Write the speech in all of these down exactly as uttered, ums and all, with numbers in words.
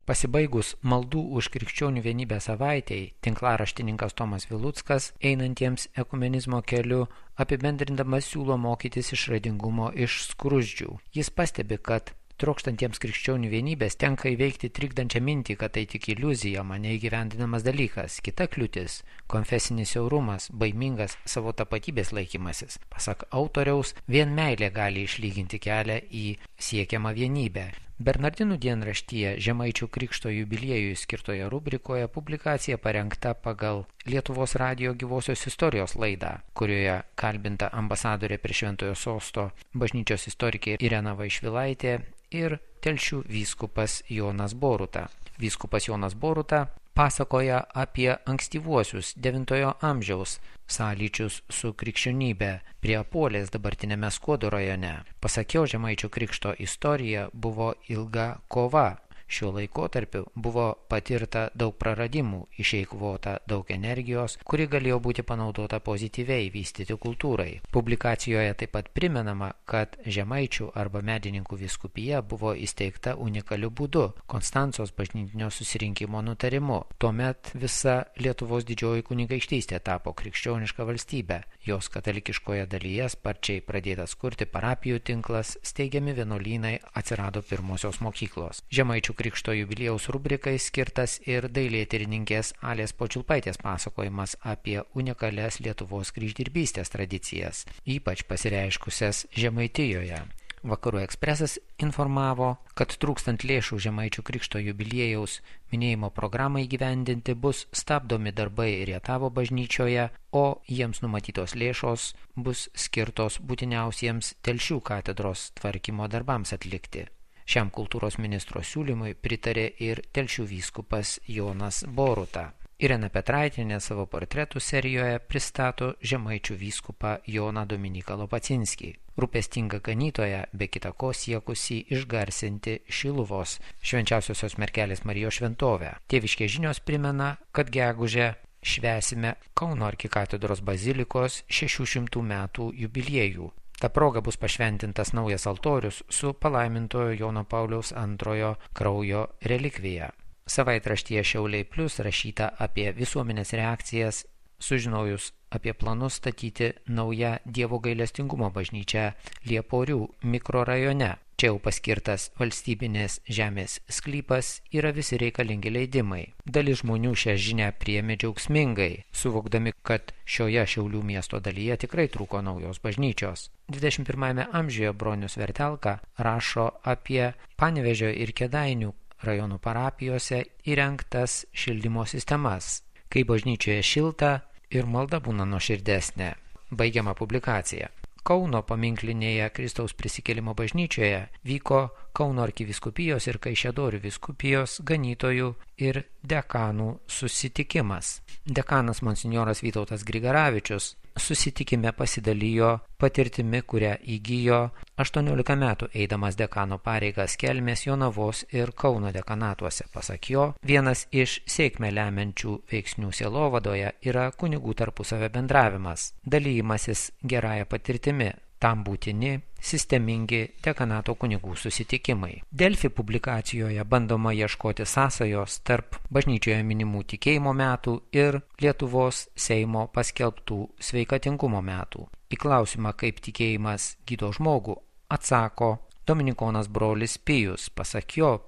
Pasibaigus maldų už krikščionių vienybę savaitei, tinklaraštininkas Tomas Viluckas, einantiems ekumenizmo keliu, apibendrindamas siūlo mokytis išradingumo iš skruzdžių. Jis pastebi, kad trokštantiems krikščionių vienybės tenka įveikti trikdančią mintį, kad tai tik iliuzija, mane įgyvendinamas dalykas. Kita kliūtis – konfesinis siaurumas, baimingas savo tapatybės laikymasis. Pasak autoriaus, vien meilė gali išlyginti kelią į siekiamą vienybę. Bernardinų dienraštyje Žemaičių Krikšto jubiliejui skirtoje rubrikoje publikacija parengta pagal Lietuvos radijo gyvosios istorijos laidą, kurioje kalbinta ambasadorė prie Šventojo Sosto bažnyčios istorikė Irena Vaišvilaitė ir Telšių vyskupas Jonas Boruta. Vyskupas Jonas Boruta pasakoja apie ankstyvuosius devintojo amžiaus sąlyčius su krikščionybė prie Apuolės dabartinėme Skuodo rajone. Pasak jo, Žemaičių Krikšto istorija buvo ilga kova. Šiuo laikotarpiu buvo patirta daug praradimų, išeikvota daug energijos, kuri galėjo būti panaudota pozityviai vystyti kultūrai. Publikacijoje taip pat primenama, kad Žemaičių arba Medininkų vyskupija buvo įsteigta unikaliu būdu – Konstancos bažnytinio susirinkimo nutarimu. Tuomet visa Lietuvos didžioji kunigaikštystė tapo krikščioniška valstybė. Jos katalikiškoje dalyje sparčiai pradėtas kurti parapijų tinklas, steigiami vienuolynai, atsirado pirmosios mokyklos. Žemaičių Krikšto jubiliejaus rubrikai skirtas ir dailėtyrininkės Alės Počilpaitės pasakojimas apie unikalias Lietuvos kryždirbystės tradicijas, ypač pasireiškusias Žemaitijoje. Vakarų ekspresas informavo, kad trūkstant lėšų Žemaičių Krikšto jubiliejaus minėjimo programai įgyvendinti bus stabdomi darbai Rietavo bažnyčioje, o jiems numatytos lėšos bus skirtos būtiniausiems Telšių katedros tvarkymo darbams atlikti. Šiam kultūros ministro siūlymui pritarė ir Telšių vyskupas Jonas Boruta. Irena Petraitienė savo portretų serijoje pristato Žemaičių vyskupą Joną Dominiką Lopacinskį. Rūpestingą ganytoją, be kita ko siekusi išgarsinti Šiluvos Švenčiausiosios Mergelės Marijos šventovę. Tėviškės žinios primena, kad gegužę švęsime Kauno arkikatedros bazilikos šešių šimtų metų jubiliejų. Ta proga bus pašventintas naujas altorius su palaimintojo Jono Pauliaus antrojo kraujo relikvija. Savaitraštyje Šiauliai Plius rašyta apie visuomenės reakcijas, sužinojus apie planus statyti naują Dievo gailestingumo bažnyčią Lieporių mikrorajone. Čia jau paskirtas valstybinės žemės sklypas, yra visi reikalingi leidimai. Dalis žmonių šią žinią priėmė džiaugsmingai, suvokdami, kad šioje Šiaulių miesto dalyje tikrai trūko naujos bažnyčios. dvidešimt pirmajame amžiuje Bronius Vertelka rašo apie Panevėžio ir Kėdainių rajonų parapijose įrengtas šildymo sistemas, kai bažnyčioje šilta ir malda būna nuoširdesnė. Baigiama publikacija. Kauno paminklinėje Kristaus prisikėlimo bažnyčioje vyko Kauno arkivyskupijos ir Kaišiadorių vyskupijos ganytojų ir dekanų susitikimas. Dekanas monsinjoras Vytautas Grigaravičius susitikime pasidalijo patirtimi, kurią įgijo aštuoniolika metų eidamas dekano pareigas Kelmės, Jonavos ir Kauno dekanatuose. Pasak jo, vienas iš sėkmę lemiančių veiksnių sielovadoje yra kunigų tarpusavio bendravimas, dalymasis gerąją patirtimi. Tam būtini sistemingi dekanato kunigų susitikimai. Delfi publikacijoje bandoma ieškoti sąsajos tarp bažnyčioje minimų tikėjimo metų ir Lietuvos Seimo paskelbtų sveikatingumo metų. Į klausimą, kaip tikėjimas gydo žmogų, atsako dominikonas brolis Pijus. Pasak jo,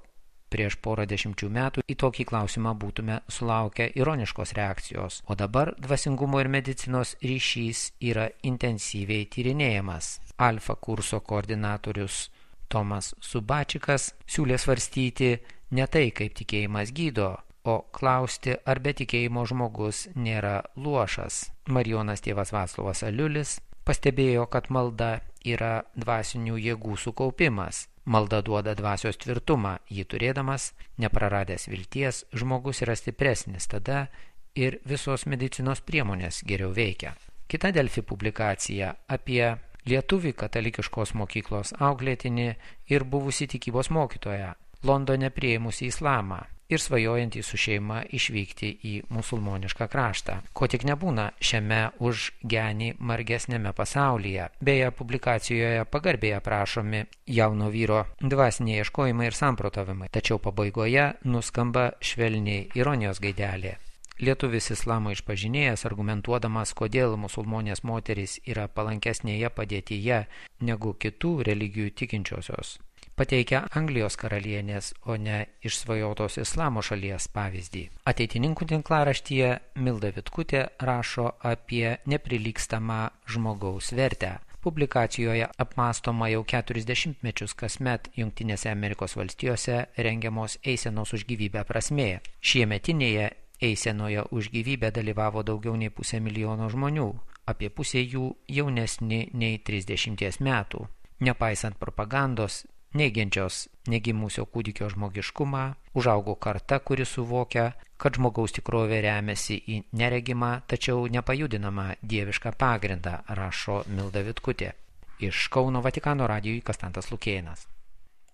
prieš porą dešimčių metų į tokį klausimą būtume sulaukę ironiškos reakcijos, o dabar dvasingumo ir medicinos ryšys yra intensyviai tyrinėjamas. Alfa kurso koordinatorius Tomas Subačikas siūlė svarstyti ne tai, kaip tikėjimas gydo, o klausti, ar be tikėjimo žmogus nėra luošas. Marijonas tėvas Vaclovas Aliulis pastebėjo, kad malda yra dvasinių jėgų sukaupimas. Malda duoda dvasios tvirtumą, jį turėdamas, nepraradęs vilties, žmogus yra stipresnis, tada ir visos medicinos priemonės geriau veikia. Kita Delfi publikacija apie lietuvį katalikiškos mokyklos auklėtinį ir buvusį tikybos mokytoją, Londone priėmusį islamą. ir svajojantys su šeima išvykti į musulmonišką kraštą. Ko tik nebūna šiame už genį margesnėme pasaulyje. Beje, publikacijoje pagarbiai aprašomi jauno vyro dvasiniai ieškojimai ir samprotavimai, tačiau pabaigoje nuskamba švelniai ironijos gaidelė. Lietuvis islamo išpažinėjas, argumentuodamas, kodėl musulmonės moterys yra palankesnėje padėtyje negu kitų religijų tikinčiosios, pateikia Anglijos karalienės, o ne išsvajotos islamo šalies pavyzdį. Ateitininkų tinklaraštyje Milda Vitkutė rašo apie neprilygstamą žmogaus vertę. Publikacijoje apmąstoma jau keturis dešimtmečius kasmet Jungtinėse Amerikos valstijose rengiamos eisenos už gyvybę prasmė. Šiemetinėje eisenoje už gyvybę dalyvavo daugiau nei pusė milijono žmonių, apie pusė jų jaunesni nei trisdešimties metų. Nepaisant propagandos, neigiančios negimusio kūdikio žmogiškumą, užaugo karta, kuri suvokia, kad žmogaus tikrovė remiasi į neregimą, tačiau nepajudinamą dievišką pagrindą, rašo Milda Vitkutė. Iš Kauno Vatikano radijui Konstantas Lukėnas.